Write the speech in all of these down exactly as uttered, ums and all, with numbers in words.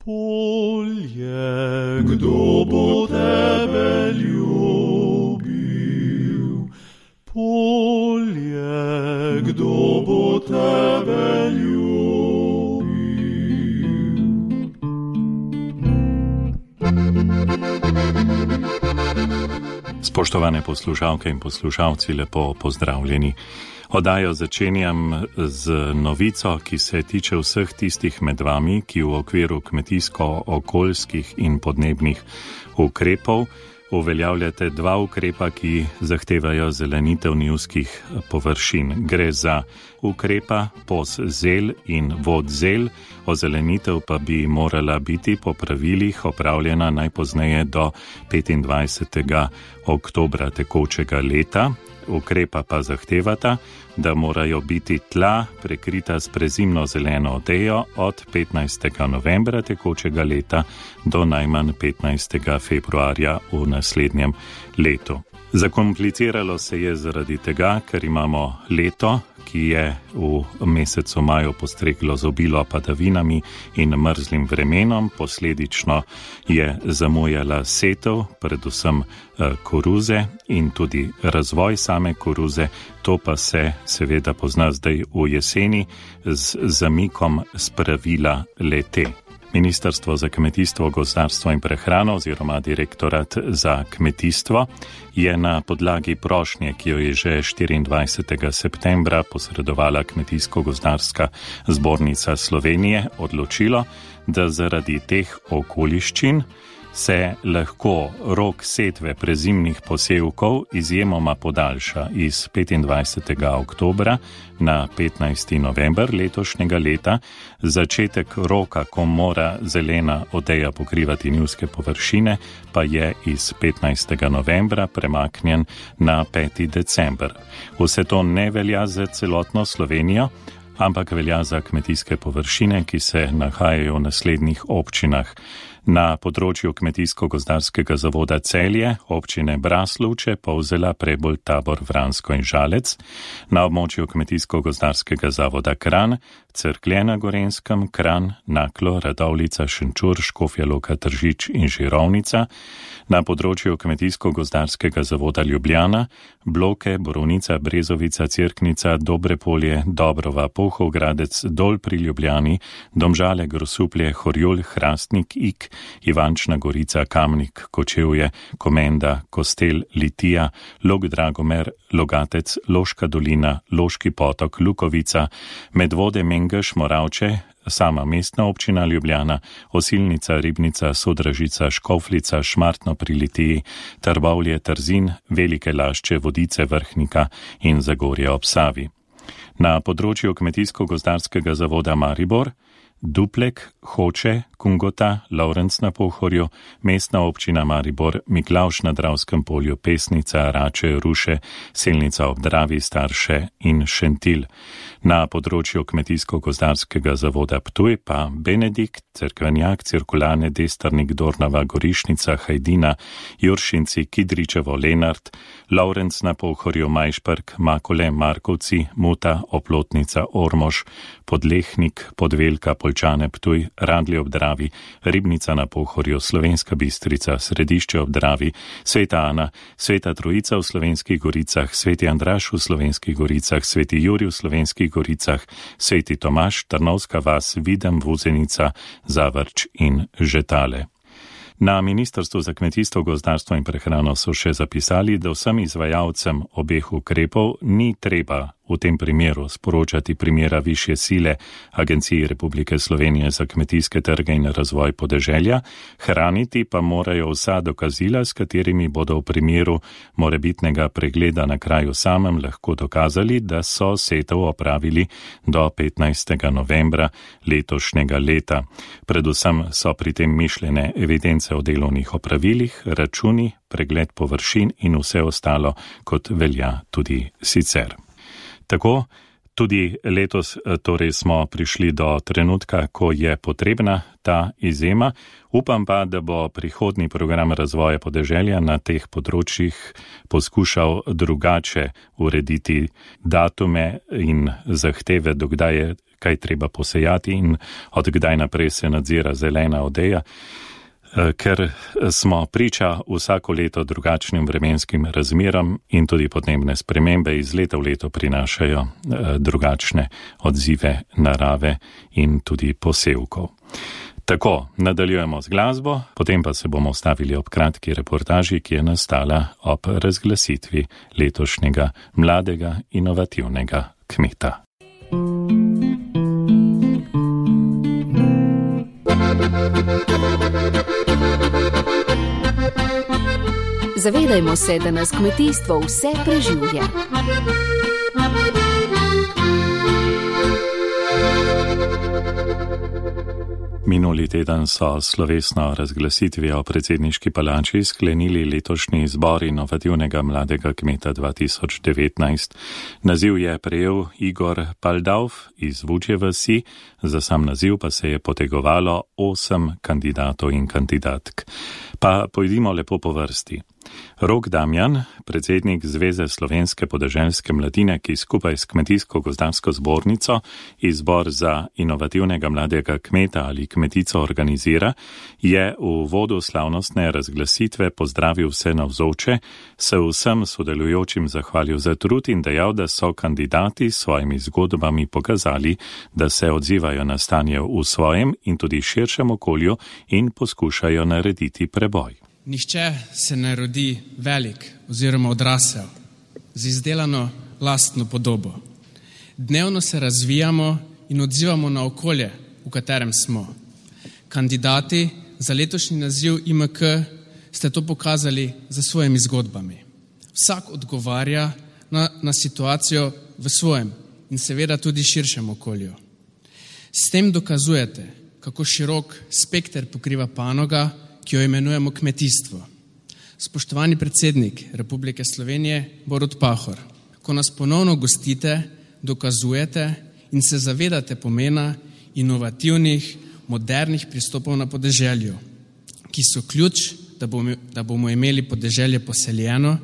Polje, kdo bo tebe ljubil? Polje, kdo bo tebe ljubil? Spoštovane poslušalke in poslušalci, lepo pozdravljeni. Oddajo začenjam z novico, ki se tiče vseh tistih med vami, ki v okviru kmetijsko-okoljskih in podnebnih ukrepov uveljavljate dva ukrepa, ki zahtevajo zelenitev njivskih površin. Gre za ukrepa poszel in vodzel, ozelenitev pa bi morala biti po pravilih opravljena najpozneje do petindvajsetega oktobra tekočega leta. Ukrepa pa zahtevata, da morajo biti tla prekrita s prezimno zeleno odejo od petnajstega novembra tekočega leta do najmanj petnajstega februarja v naslednjem letu. Zakompliciralo se je zaradi tega, ker imamo leto, ki je v mesecu maju postreglo z obilo padavinami in mrzlim vremenom, posledično je zamujala setev, predvsem koruze in tudi razvoj same koruze, to pa se seveda pozna zdaj v jeseni z zamikom spravila le-te. Ministrstvo za kmetijstvo, gozdarstvo in prehrano oziroma Direktorat za kmetijstvo je na podlagi prošnje, ki jo je že štiriindvajsetega septembra posredovala Kmetijsko-gozdarska zbornica Slovenije, odločilo, da zaradi teh okoliščin se lahko rok setve prezimnih posevkov izjemoma podaljša iz petindvajsetega oktobra na petnajsti november letošnjega leta. Začetek roka, ko mora zelena odeja pokrivati njivske površine, pa je iz petnajstega novembra premaknjen na peti december. Vse to ne velja za celotno Slovenijo, ampak velja za kmetijske površine, ki se nahajajo v naslednjih občinah. Na področju Kmetijsko-gozdarskega zavoda Celje, občine Braslovče, Polzela, Prebold, Tabor, Vransko in Žalec, na območju Kmetijsko-gozdarskega zavoda Kranj, Cerklje na Gorenjskem, Kranj, Naklo, Radovljica, Šenčur, Škofja Loka, Tržič in Žirovnica, na področju Kmetijsko-gozdarskega zavoda Ljubljana, Bloke, Borovnica, Brezovica, Cerknica, Dobrepolje, Dobrova, Polhovgradec, Dol pri Ljubljani, Domžale, Grosuplje, Horjul, Hrastnik, Ik, Ivančna Gorica, Kamnik, Kočevje, Komenda, Kostel, Litija, Log Dragomer, Logatec, Loška dolina, Loški potok, Lukovica, Medvode, Mengeš, Moravče, sama mestna občina Ljubljana, Osilnica, Ribnica, Sodražica, Škoflica, Šmartno pri Litiji, Trbovlje, Trzin, Velike Lašče, Vodice, Vrhnika in Zagorje ob Savi. Na področju Kmetijsko-gozdarskega zavoda Maribor, Duplek, Hoče, Kungota, Lovrenc na Pohorju, mestna občina Maribor, Miklavž na Dravskem polju, Pesnica, Rače, Ruše, Selnica ob Dravi, Starše in Šentilj. Na področju Kmetijsko-gozdarskega zavoda Ptuj pa Benedikt, Cerkvenjak, Cirkulane, Destrnik, Dornava, Gorišnica, Hajdina, Juršinci, Kidričevo, Lenart, Lovrenc na Pohorju, Majšperk, Makole, Markovci, Muta, Oplotnica, Ormož, Podlehnik, Podvelka, Poljčane, Ptuj, Radlje ob Dravi, Ribnica na Pohorju, Slovenska Bistrica, Središče ob Dravi, Sveta Ana, Sveta Trojica v Slovenskih Goricah, Sveti Andraž v Slovenskih Goricah, Sveti Jurij v Slovenskih Goricah, Sveti Tomaž, Trnovska vas, Videm, Vuzenica, Zavrč in Žetale. Na Ministrstvu za kmetijstvo, gozdarstvo in prehrano so še zapisali, da vsem izvajalcem obeh ukrepov ni treba v tem primeru sporočati primera višje sile Agenciji Republike Slovenije za kmetijske trge in razvoj podeželja, hraniti pa morajo vsa dokazila, s katerimi bodo v primeru morebitnega pregleda na kraju samem lahko dokazali, da so setev opravili do petnajstega novembra letošnjega leta. Predvsem so pri tem mišljene evidence o delovnih opravilih, računi, pregled površin in vse ostalo, kot velja tudi sicer. Tako, tudi letos torej smo prišli do trenutka, ko je potrebna ta izjema. Upam pa, da bo prihodnji program razvoja podeželja na teh področjih poskušal drugače urediti datume in zahteve, dokdaj je kaj treba posejati in od kdaj naprej se nadzira zelena odeja, ker smo priča vsako leto drugačnim vremenskim razmeram in tudi podnebne spremembe iz leta v leto prinašajo drugačne odzive narave in tudi posevkov. Tako, nadaljujemo z glasbo, potem pa se bomo ustavili ob kratki reportaži, ki je nastala ob razglasitvi letošnjega mladega inovativnega kmeta. Zavedajmo se, da nas kmetijstvo vse preživlja. Minuli teden so slovesno razglasitvijo o predsedniški palači sklenili letošnji izbor inovativnega mladega kmeta dva tisoč devetnajst. Naziv je prejel Igor Paldavf iz Vučje vasi, za sam naziv pa se je potegovalo osem kandidatov in kandidatk. Pa pojdimo lepo po vrsti. Rok Damjan, predsednik Zveze slovenske podeželske mladine, ki skupaj s Kmetijsko-gozdarsko zbornico izbor za inovativnega mladega kmeta ali kmetico organizira, je v vodu slavnostne razglasitve pozdravil vse navzoče, se vsem sodelujočim zahvalil za trud in dejal, da so kandidati s svojimi zgodbami pokazali, da se odzivajo na stanje v svojem in tudi širšem okolju in poskušajo narediti preboj. Nihče se ne rodi velik oziroma odrasel z izdelano lastno podobo. Dnevno se razvijamo in odzivamo na okolje, v katerem smo. Kandidati za letošnji naziv I M K ste to pokazali za svojimi zgodbami. Vsak odgovarja na, na situacijo v svojem in seveda tudi širšem okolju. S tem dokazujete, kako širok spekter pokriva panoga, ki jo imenujemo kmetijstvo. Spoštovani predsednik Republike Slovenije, Borut Pahor, ko nas ponovno gostite, dokazujete in se zavedate pomena inovativnih, modernih pristopov na podeželju, ki so ključ, da bomo, da bomo imeli podeželje poseljeno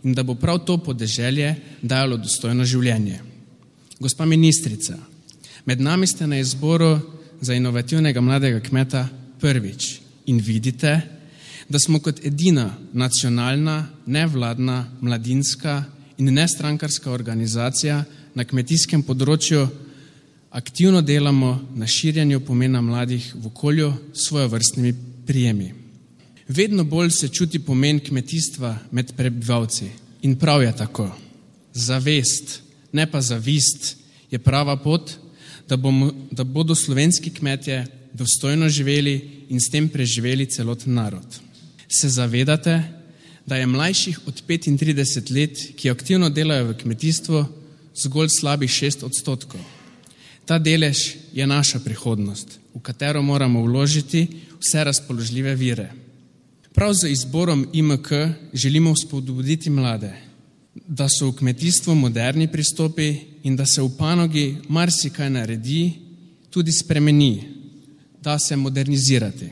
in da bo prav to podeželje dajalo dostojno življenje. Gospa ministrica, med nami ste na izboru za inovativnega mladega kmeta prvič. In vidite, da smo kot edina nacionalna, nevladna, mladinska in nestrankarska organizacija na kmetijskem področju aktivno delamo na širjenju pomena mladih v okolju s svojevrstnimi prijemi. Vedno bolj se čuti pomen kmetijstva med prebivalci in prav je tako. Zavest, ne pa zavist, je prava pot, da, bomo, da bodo slovenski kmetje dostojno živeli in s tem preživeli celoten narod. Se zavedate, da je mlajših od petintrideset let, ki aktivno delajo v kmetijstvu, zgolj slabih šest odstotkov. Ta delež je naša prihodnost, v katero moramo vložiti vse razpoložljive vire. Prav z izborom I M K želimo spodbuditi mlade, da so v kmetijstvu moderni pristopi in da se v panogi marsikaj naredi, tudi spremeni, da se modernizirati.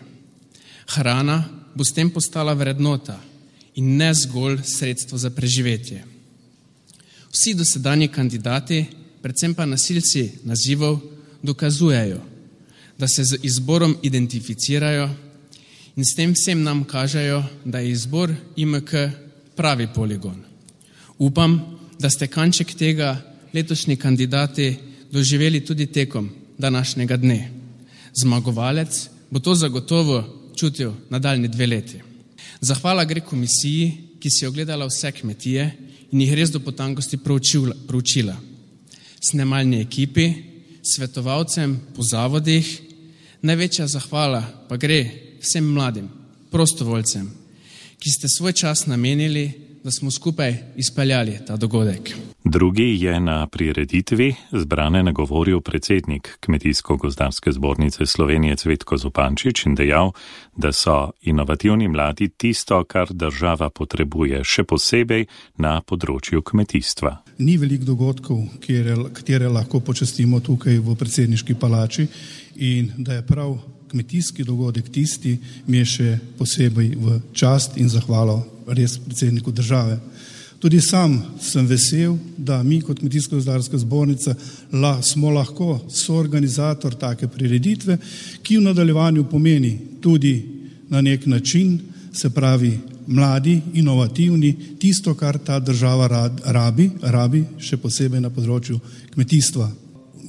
Hrana bo s tem postala vrednota in ne zgolj sredstvo za preživetje. Vsi dosedanji kandidati, predvsem pa nosilci nazivov, dokazujejo, da se z izborom identificirajo in s tem vsem nam kažejo, da je izbor I M K pravi poligon. Upam, da ste kanček tega letošnji kandidati doživeli tudi tekom današnjega dne. Zmagovalec bo to zagotovo čutil nadaljnji dve leti. Zahvala gre komisiji, ki si je ogledala vse kmetije in jih res do potankosti proučila. Snemalni ekipi, svetovalcem po zavodih, največja zahvala pa gre vsem mladim, prostovoljcem, ki ste svoj čas namenili, da smo skupaj izpeljali ta dogodek. Drugi je na prireditvi zbrane nagovoril predsednik Kmetijsko-gozdarske zbornice Slovenije Cvetko Zupančič in dejal, da so inovativni mladi tisto, kar država potrebuje, še posebej na področju kmetijstva. Ni veliko dogodkov, katere lahko počastimo tukaj v predsedniški palači in da je prav kmetijski dogodek tisti, mi je še posebej v čast in zahvalo res predsedniku države. Tudi sam sem vesel, da mi kot Kmetijsko-gozdarska zbornica la, smo lahko soorganizator take prireditve, ki v nadaljevanju pomeni tudi na nek način, se pravi mladi, inovativni, tisto, kar ta država rabi, rabi še posebej na področju kmetijstva.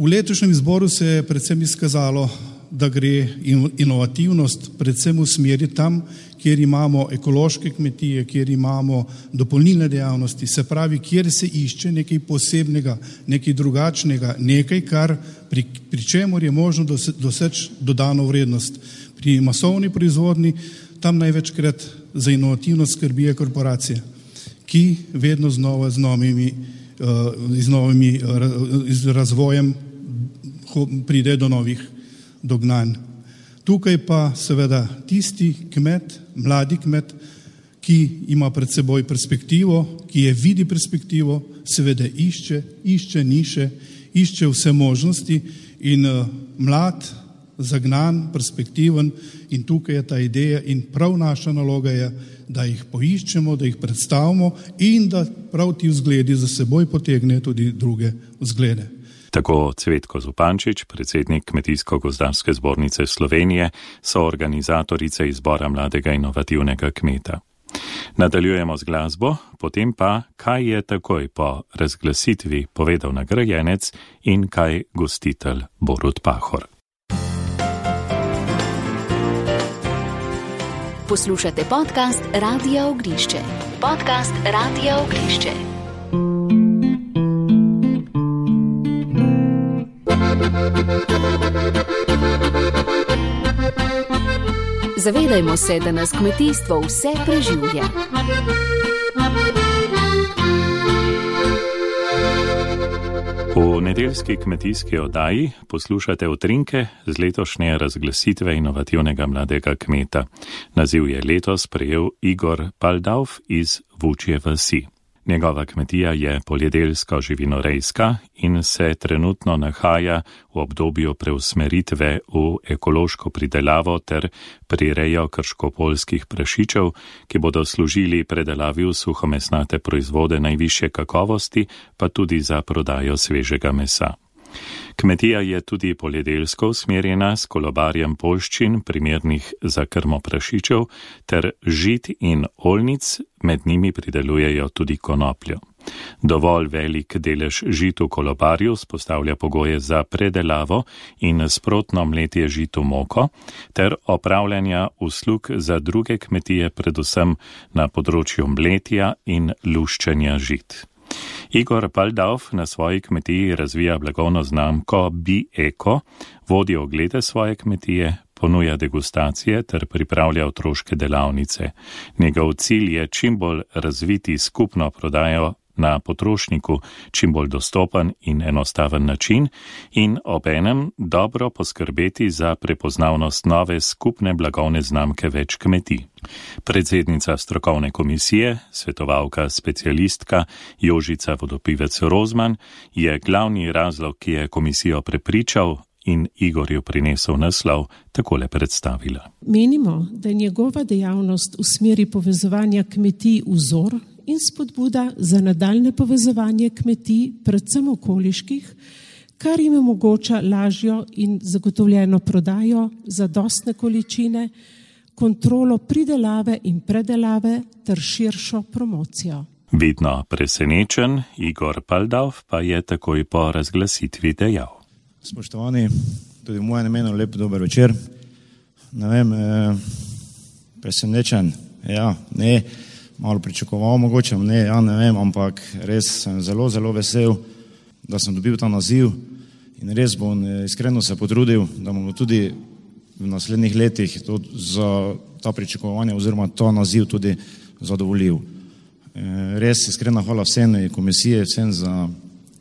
V letošnjem izboru se je predvsem izkazalo, da gre inovativnost predvsem v smeri tam, kjer imamo ekološke kmetije, kjer imamo dopolnilne dejavnosti, se pravi, kjer se išče nekaj posebnega, nekaj drugačnega, nekaj, kar pri, pri čemur je možno doseči dodano vrednost. Pri masovni proizvodni tam največkrat za inovativnost skrbijo korporacije, ki vedno znova z novimi, z novimi z razvojem pride do novih dognanj. Tukaj pa seveda tisti kmet, mladi kmet, ki ima pred seboj perspektivo, ki je vidi perspektivo, seveda išče, išče niše, išče vse možnosti in uh, mlad, zagnan, perspektiven in tukaj je ta ideja in prav naša naloga je, da jih poiščemo, da jih predstavimo in da prav ti vzgledi za seboj potegnejo tudi druge vzglede. Tako Cvetko Zupančič, predsednik Kmetijsko-gozdarske zbornice Slovenije, so organizatorice izbora mladega inovativnega kmeta. Nadaljujemo z glasbo, potem pa, kaj je takoj po razglasitvi povedal nagrajenec in kaj gostitelj Borut Pahor. Poslušate podcast Radia Ognišče. Podcast Radia Ognišče. Zavedajmo se, da nas kmetijstvo vse preživlja. V nedeljski kmetijski oddaji poslušate utrinke z letošnje razglasitve inovativnega mladega kmeta. Naziv je letos prejel Igor Paldavf iz Vučje vasi. Njegova kmetija je poljedelska živinorejska in se trenutno nahaja v obdobju preusmeritve v ekološko pridelavo ter prirejo krškopoljskih prašičev, ki bodo služili predelavi v suhomesnate proizvode najvišje kakovosti, pa tudi za prodajo svežega mesa. Kmetija je tudi poljedelsko usmerjena s kolobarjem poljščin, primernih za krmo prašičev, ter žit in oljnic, med njimi pridelujejo tudi konopljo. Dovolj velik delež žit v kolobarju spostavlja pogoje za predelavo in sprotno mletje žit v moko, ter opravljanja uslug za druge kmetije, predvsem na področju mletja in luščenja žit. Igor Paldavf na svoji kmetiji razvija blagovno znamko Bi-Eko, vodi oglede svoje kmetije, ponuja degustacije ter pripravlja otroške delavnice. Njegov cilj je čim bolj razviti skupno prodajo na potrošniku, čim bolj dostopen in enostaven način in obenem dobro poskrbeti za prepoznavnost nove skupne blagovne znamke več kmetij. Predsednica strokovne komisije, svetovalka specialistka Jožica Vodopivec-Rozman je glavni razlog, ki je komisijo prepričal in Igorju prinesel naslov, takole predstavila. Menimo, da je njegova dejavnost v smeri povezovanja kmetij vzor in spodbuda za nadaljne povezovanje kmetij, predvsem okoliških, kar jim omogoča lažjo in zagotovljeno prodajo, zadostne količine, kontrolo pridelave in predelave ter širšo promocijo. Vidno presenečen, Igor Paldavf pa je takoj po razglasitvi dejal. Spoštovani, tudi v mojem imenu lep dober večer. Ne vem, eh, presenečen, ja, ne, malo pričakoval mogoče, ne, ja, ne vem, ampak res sem zelo, zelo vesel, da sem dobil ta naziv in res bom iskreno se potrudil, da bomo tudi v naslednjih letih to, za ta pričakovanja oziroma ta naziv tudi zadovoljil. Eh, res iskrena hvala vsem komisije, vsem za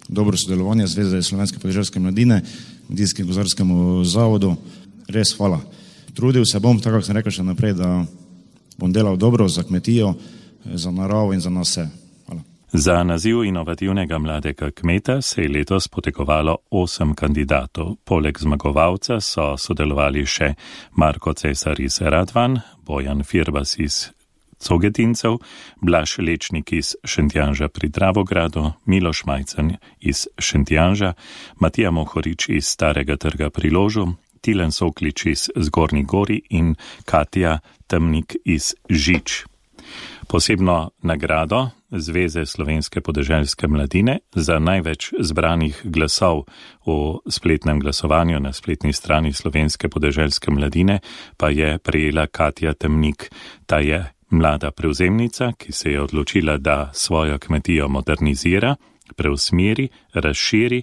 dobro sodelovanje Zveze slovenske podeželske mladine, Kmetijskemu gozdarskemu zavodu. Res hvala. Trudil se bom, tako kot sem rekel še naprej, da bom delal dobro za kmetijo, za naravo in za nas vse. Hvala. Za naziv inovativnega mladega kmeta se je letos potegovalo osem kandidatov. Poleg zmagovalca so sodelovali še Marko Cesar iz Radvan, Bojan Firbas iz Cogetincev, Blaž Lečnik iz Šentjanža pri Dravogradu, Miloš Majcen iz Šentjanža, Matija Mohorič iz Starega trga pri Ložu, Tilen Soklič iz Zgornjih Gori in Katja Temnik iz Žič. Posebno nagrado Zveze slovenske podeželske mladine za največ zbranih glasov v spletnem glasovanju na spletni strani Slovenske podeželske mladine pa je prejela Katja Temnik. Ta je mlada prevzemnica, ki se je odločila, da svojo kmetijo modernizira, preusmeri, razširi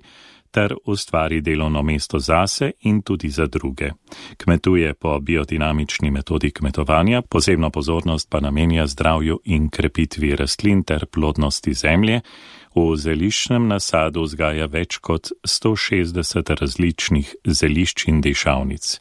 ter ustvari delovno mesto zase in tudi za druge. Kmetuje po biodinamični metodi kmetovanja, posebno pozornost pa namenja zdravju in krepitvi rastlin ter plodnosti zemlje. V zeliščnem nasadu vzgaja več kot sto šestdeset različnih zelišč in dišavnic.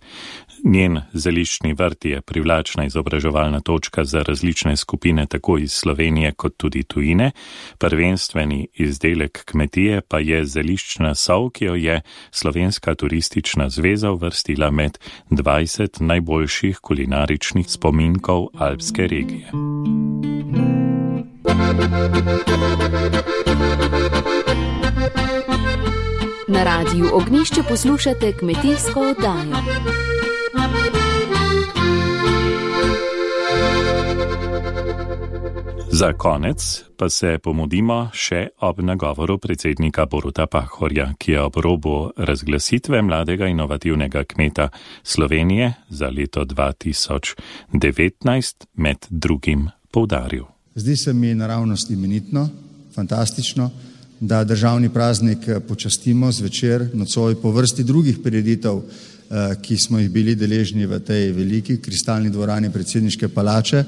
Njen zeliščni vrt je privlačna izobraževalna točka za različne skupine tako iz Slovenije kot tudi tujine. Prvenstveni izdelek kmetije pa je zeliščna sol, ki jo je Slovenska turistična zveza uvrstila med dvajset najboljših kulinaričnih spominkov alpske regije. Na Radiu Ognjišče poslušate kmetijsko oddajo. Za konec pa se pomudimo še ob nagovoru predsednika Boruta Pahorja, ki je ob robu razglasitve mladega inovativnega kmeta Slovenije za leto dva tisoč devetnajst med drugim poudaril. Zdi se mi naravnost imenitno, fantastično, da državni praznik počastimo zvečer, nocoj po vrsti drugih prireditev, ki smo jih bili deležni v tej veliki kristalni dvorani predsedniške palače,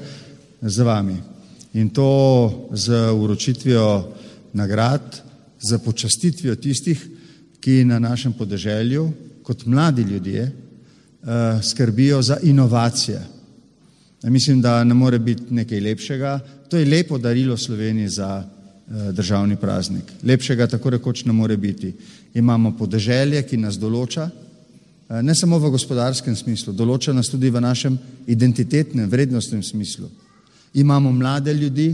z vami. In to z uročitvijo nagrad, z počastitvijo tistih, ki na našem podeželju, kot mladi ljudje, skrbijo za inovacije. Mislim, da ne more biti nekaj lepšega. To je lepo darilo Sloveniji za državni praznik. Lepšega tako rekoč ne more biti. Imamo podeželje, ki nas določa, ne samo v gospodarskem smislu, določa nas tudi v našem identitetnem, vrednostnem smislu. Imamo mlade ljudi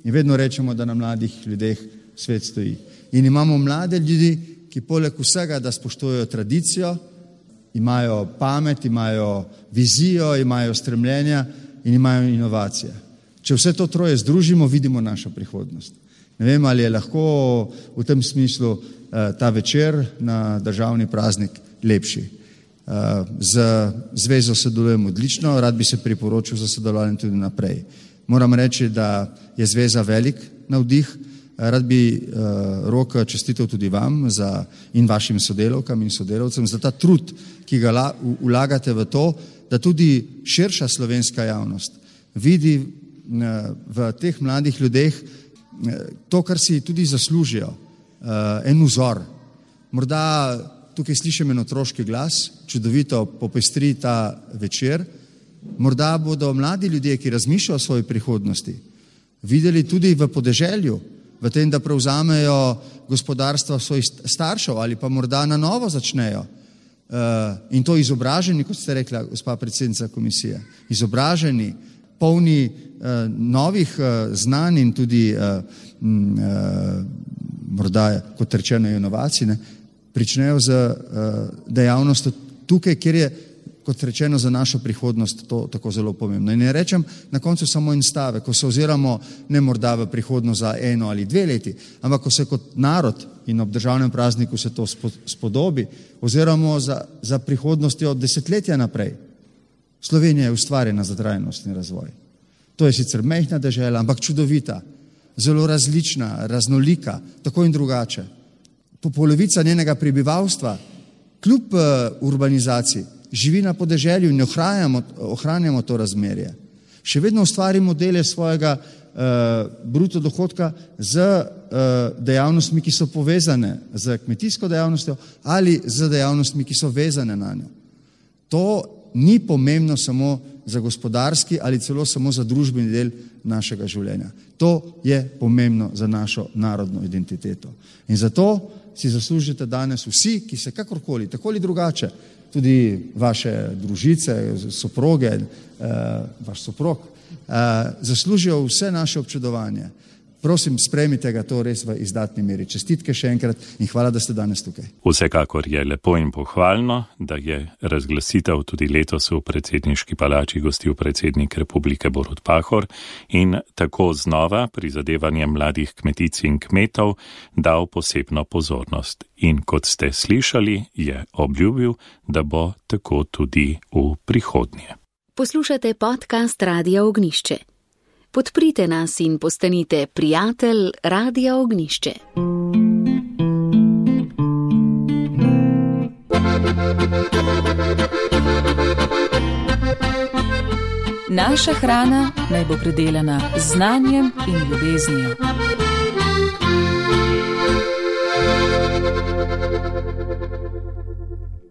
in vedno rečemo, da na mladih ljudeh svet stoji. In imamo mlade ljudi, ki poleg vsega, da spoštujejo tradicijo, imajo pamet, imajo vizijo, imajo stremljenja in imajo inovacije. Če vse to troje združimo, vidimo našo prihodnost. Ne vem, ali je lahko v tem smislu ta večer na državni praznik lepši. Z zvezo sodelujem odlično, rad bi se priporočil za sodelovanje tudi naprej. Moram reči, da je zveza velik navdih. Rad bi Rok čestitev tudi vam za, in vašim sodelavkam in sodelavcem za ta trud, ki ga vlagate v to, da tudi širša slovenska javnost vidi v teh mladih ljudeh to, kar si tudi zaslužijo, en vzor. Morda tukaj slišim en otroški glas, čudovito popestri ta večer. Morda bodo mladi ljudje, ki razmišljajo o svoji prihodnosti, videli tudi v podeželju, v tem, da prevzamejo gospodarstva svojih staršev ali pa morda na novo začnejo. In to izobraženi, kot ste rekla, gospa predsednica komisije, izobraženi, polni novih znanj in tudi morda, kot rečeno, inovacij, pričnejo z dejavnostjo tukaj, kjer je, kot rečeno, za našo prihodnost to tako zelo pomembno. In ne rečem na koncu samo en stavek, ko se oziramo ne morda v prihodnost za eno ali dve leti, ampak ko se kot narod in ob državnem prazniku se to spodobi, oziramo za, za prihodnostjo desetletja naprej. Slovenija je ustvarjena za trajnostni razvoj. To je sicer majhna dežela, ampak čudovita, zelo različna, raznolika, tako in drugače. Po polovica njenega prebivalstva, kljub urbanizaciji, živi na podeželju in ohranjamo, ohranjamo to razmerje. Še vedno ustvari modele svojega uh, bruto dohodka z uh, dejavnostmi, ki so povezane z kmetijsko dejavnostjo ali z dejavnostmi, ki so vezane na njo. To ni pomembno samo za gospodarski ali celo samo za družbeni del našega življenja. To je pomembno za našo narodno identiteto. In zato si zaslužite danes vsi, ki se kakorkoli, tako ali drugače, tudi vaše družice, soproge, vaš soprog, zaslužijo vse naše občudovanje. Prosim, sprejmite ga to res v izdatni meri. Čestitke še enkrat in hvala, da ste danes tukaj. Vsekakor je lepo in pohvalno, da je razglasitev tudi letos v predsedniški palači gostil predsednik Republike Borut Pahor in tako znova prizadevanjem mladih kmetic in kmetov dal posebno pozornost. In kot ste slišali, je obljubil, da bo tako tudi v prihodnje. Poslušate podcast Radia Ognišče. Podprite nas in postanite prijatelj Radia Ognišče. Naša hrana naj bo predelana z znanjem in ljubeznijo.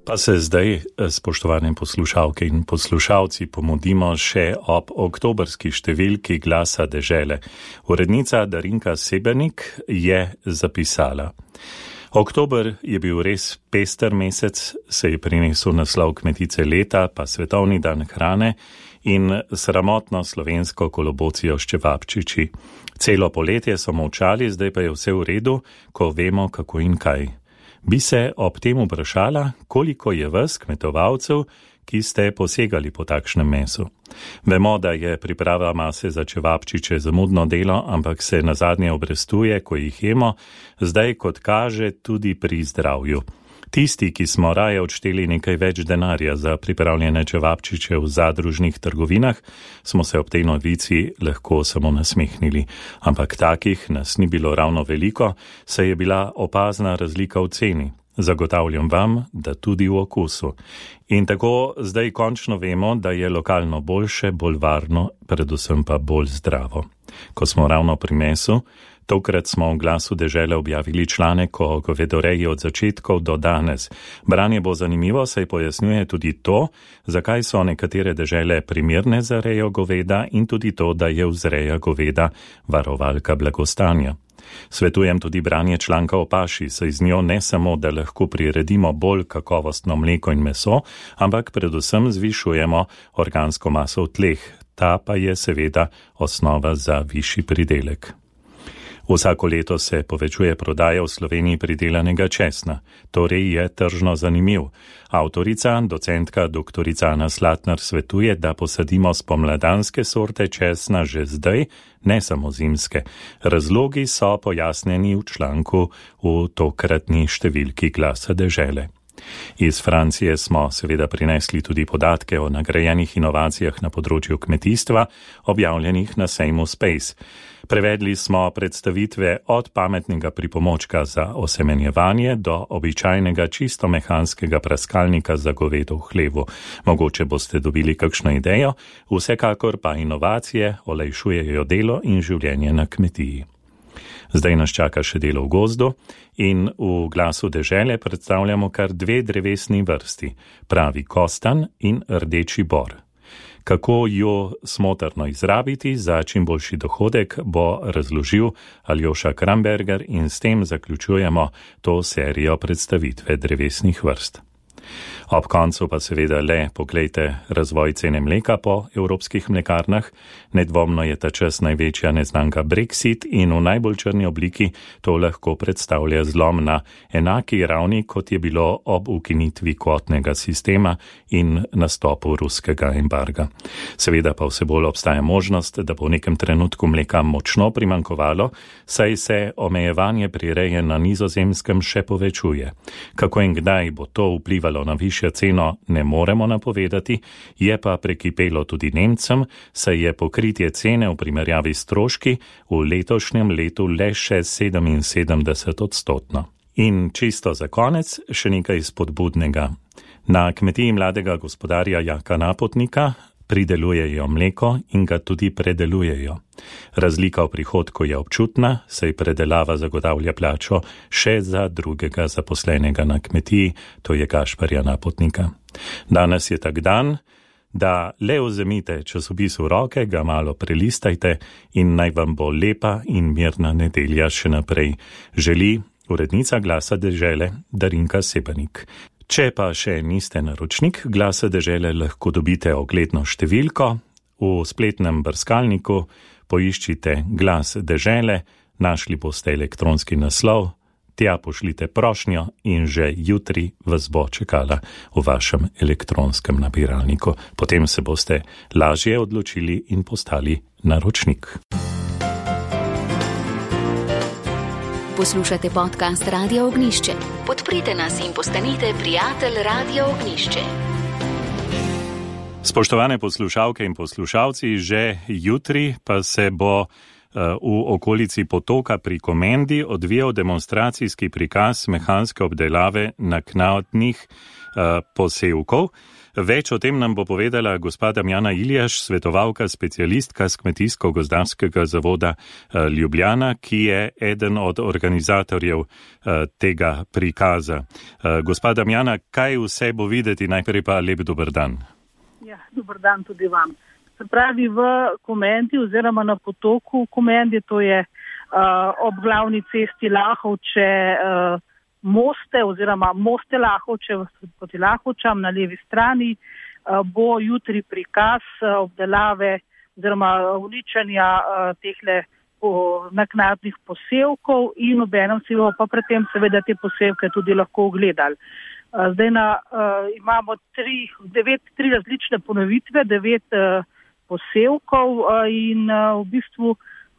Pa se zdaj, spoštovane poslušalke in poslušalci, pomudimo še ob oktobrski številki Glasa dežele. Urednica Darinka Sebenik je zapisala: Oktober je bil res pester mesec, se je prinesel naslov Kmetice leta, pa Svetovni dan hrane in sramotno slovensko kolobocijo s čevapčiči. Celo poletje so molčali, zdaj pa je vse v redu, ko vemo kako in kaj. Bi se ob tem vprašala, koliko je vas, kmetovalcev, ki ste posegali po takšnem mesu. Vemo, da je priprava mase za čevapčiče zamudno delo, ampak se nazadnje obrestuje, ko jih jemo, zdaj kot kaže tudi pri zdravju. Tisti, ki smo raje odšteli nekaj več denarja za pripravljene čevapčiče v zadružnih trgovinah, smo se ob tej novici lahko samo nasmehnili. Ampak takih nas ni bilo ravno veliko, saj je bila opazna razlika v ceni. Zagotavljam vam, da tudi v okusu. In tako zdaj končno vemo, da je lokalno boljše, bolj varno, predvsem pa bolj zdravo. Ko smo ravno pri mesu, tokrat smo v Glasu dežele objavili članek o govedoreji od začetkov do danes. Branje bo zanimivo, saj pojasnjuje tudi to, zakaj so nekatere dežele primerne za rejo goveda in tudi to, da je vzreja goveda varovalka blagostanja. Svetujem tudi branje članka o paši, saj z njo ne samo, da lahko priredimo bolj kakovostno mleko in meso, ampak predvsem zvišujemo organsko maso v tleh. Ta pa je seveda osnova za višji pridelek. Vsako leto se povečuje prodaja v Sloveniji pridelanega česna, torej je tržno zanimiv. Avtorica, docentka doktorica Ana Slatnar svetuje, da posadimo spomladanske sorte česna že zdaj, ne samo zimske. Razlogi so pojasnjeni v članku v tokratni številki Glasa dežele. Iz Francije smo seveda prinesli tudi podatke o nagrajenih inovacijah na področju kmetijstva, objavljenih na sejmu Space. Prevedli smo predstavitve od pametnega pripomočka za osemenjevanje do običajnega čisto mehanskega praskalnika za govedo v hlevu. Mogoče boste dobili kakšno idejo, vsekakor pa inovacije olajšujejo delo in življenje na kmetiji. Zdaj nas čaka še delo v gozdu in v Glasu dežele predstavljamo kar dve drevesni vrsti, pravi kostan in rdeči bor. Kako jo smotrno izrabiti za čim boljši dohodek, bo razložil Aljoša Kramberger in s tem zaključujemo to serijo predstavitve drevesnih vrst. Ob koncu pa seveda le poglejte razvoj cene mleka po evropskih mlekarnah. Nedvomno je ta čas največja neznanka Brexit in v najbolj črni obliki to lahko predstavlja zlom na enaki ravni, kot je bilo ob ukinitvi kvotnega sistema in nastopu ruskega embarga. Seveda pa vse bolj obstaja možnost, da bo v nekem trenutku mleka močno primankovalo, saj se omejevanje prireje na Nizozemskem še povečuje. Kako in kdaj bo to vplivalo na višjo ceno, ne moremo napovedati, je pa prekipelo tudi Nemcem, saj je pokritje cene v primerjavi s stroški v letošnjem letu le še sedeminsedemdeset odstotno. In čisto za konec še nekaj spodbudnega. Na kmetiji mladega gospodarja Jaka Napotnika pridelujejo mleko in ga tudi predelujejo. Razlika v prihodku je občutna, saj predelava zagotavlja plačo še za drugega zaposlenega na kmetiji, to je Gašparja Napotnika. Danes je tak dan, da le vzemite časopis v roke, ga malo prelistajte in naj vam bo lepa in mirna nedelja še naprej. Želi urednica Glasa dežele Darinka Sebenik. Če pa še niste naročnik Glasa dežele, lahko dobite ogledno številko. V spletnem brskalniku poiščite Glas dežele, našli boste elektronski naslov, tja pošljite prošnjo in že jutri vas bo čakala v vašem elektronskem nabiralniku. Potem se boste lažje odločili in postali naročnik. Poslušate podcast Radia Ognišče. Podprite nas in postanite prijatelj Radia Ognišče. Spoštovane poslušalke in poslušalci, že jutri pa se bo v okolici Potoka pri Komendi odvijal demonstracijski prikaz mehanske obdelave naknadnih posevkov. Več o tem nam bo povedala gospa Damjana Iljaš, svetovalka specialistka z Kmetijsko-gozdarskega zavoda Ljubljana, ki je eden od organizatorjev tega prikaza. Gospa Damjana, kaj vse bo videti? Najprej pa lep dober dan. Ja, dober dan tudi vam. Se pravi, v Komendi oziroma na Potoku Komendi, to je uh, ob glavni cesti Lahovče uh, Moste oziroma Moste Lahovče proti Lahovčam na levi strani, uh, bo jutri prikaz uh, obdelave oziroma uničenja uh, tehle uh, naknadnih posevkov in obenem si bomo pa predtem seveda te posevke tudi lahko ogledali. Uh, zdaj na, uh, imamo tri, devet, tri različne ponovitve, devet uh, posevkov in v bistvu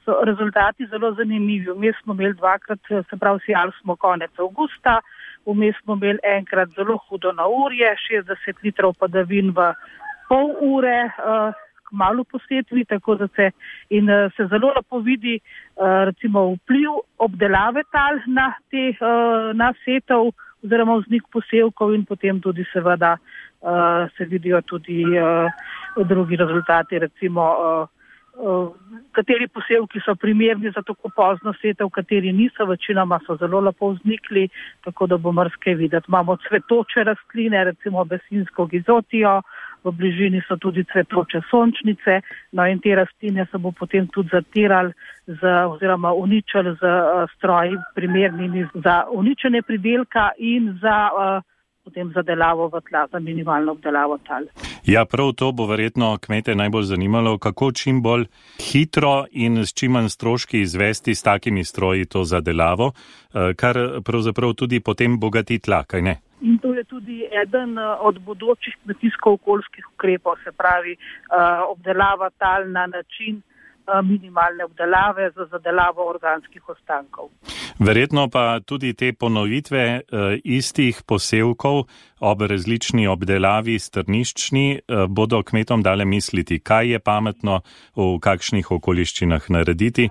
so rezultati zelo zanimivi. Vmes smo imeli dvakrat, se pravi, sijali smo konec avgusta, vmes smo imeli enkrat zelo hudo naurje, šestdeset litrov padavin v pol ure, kmalu po setvi, tako da se in se zelo lepo vidi recimo vpliv obdelave tal na te na setov oziroma vznik posevkov in potem tudi seveda se vidijo tudi drugi rezultati, recimo uh, uh, kateri posevki so primerni za tako pozno setev, kateri niso, večinoma so zelo lepo vznikli, tako da bo marsikaj videti. Imamo cvetoče rastline, recimo besinsko gizotijo, v bližini so tudi cvetoče sončnice, no in te rastline se bo potem tudi zatirali z, oziroma uničili z uh, stroji primernimi za uničenje pridelka in za uh, potem zadelavo v tla, za minimalno obdelavo tal. Ja, prav to bo verjetno kmete najbolj zanimalo, kako čim bolj hitro in s čim manj stroški izvesti s takimi stroji to zadelavo, kar pravzaprav tudi potem bogati tla, kaj ne? In to je tudi eden od bodočih kmetijsko-okoljskih ukrepov, se pravi obdelava tal na način minimalne obdelave za zadelavo organskih ostankov. Verjetno pa tudi te ponovitve e, istih posevkov ob različni obdelavi strniščni e, bodo kmetom dale misliti, kaj je pametno v kakšnih okoliščinah narediti.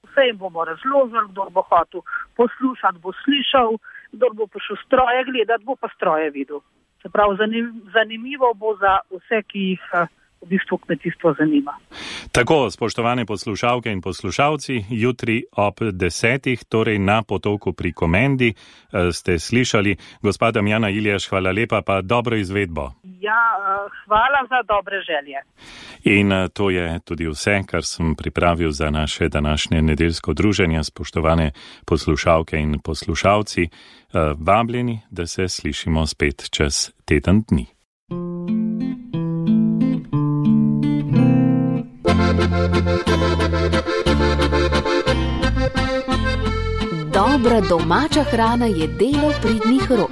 Vse jim bomo razložili, kdo bo hotel poslušati, bo slišal, kdo bo prišel stroje gledati, bo pa stroje videl. Se pravi, zanim, zanimivo bo za vse, ki jih v bistvu kmetijstvo zanima. Tako, spoštovane poslušalke in poslušalci, jutri ob desetih, torej na Potoku pri Komendi, ste slišali. Gospa Damjana Iljaš, hvala lepa, pa dobro izvedbo. Ja, hvala za dobre želje. In to je tudi vse, kar sem pripravil za naše današnje nedeljsko druženje, spoštovane poslušalke in poslušalci. Vabljeni, da se slišimo spet čez teden dni. Dobra domača hrana je delo pridnih rok.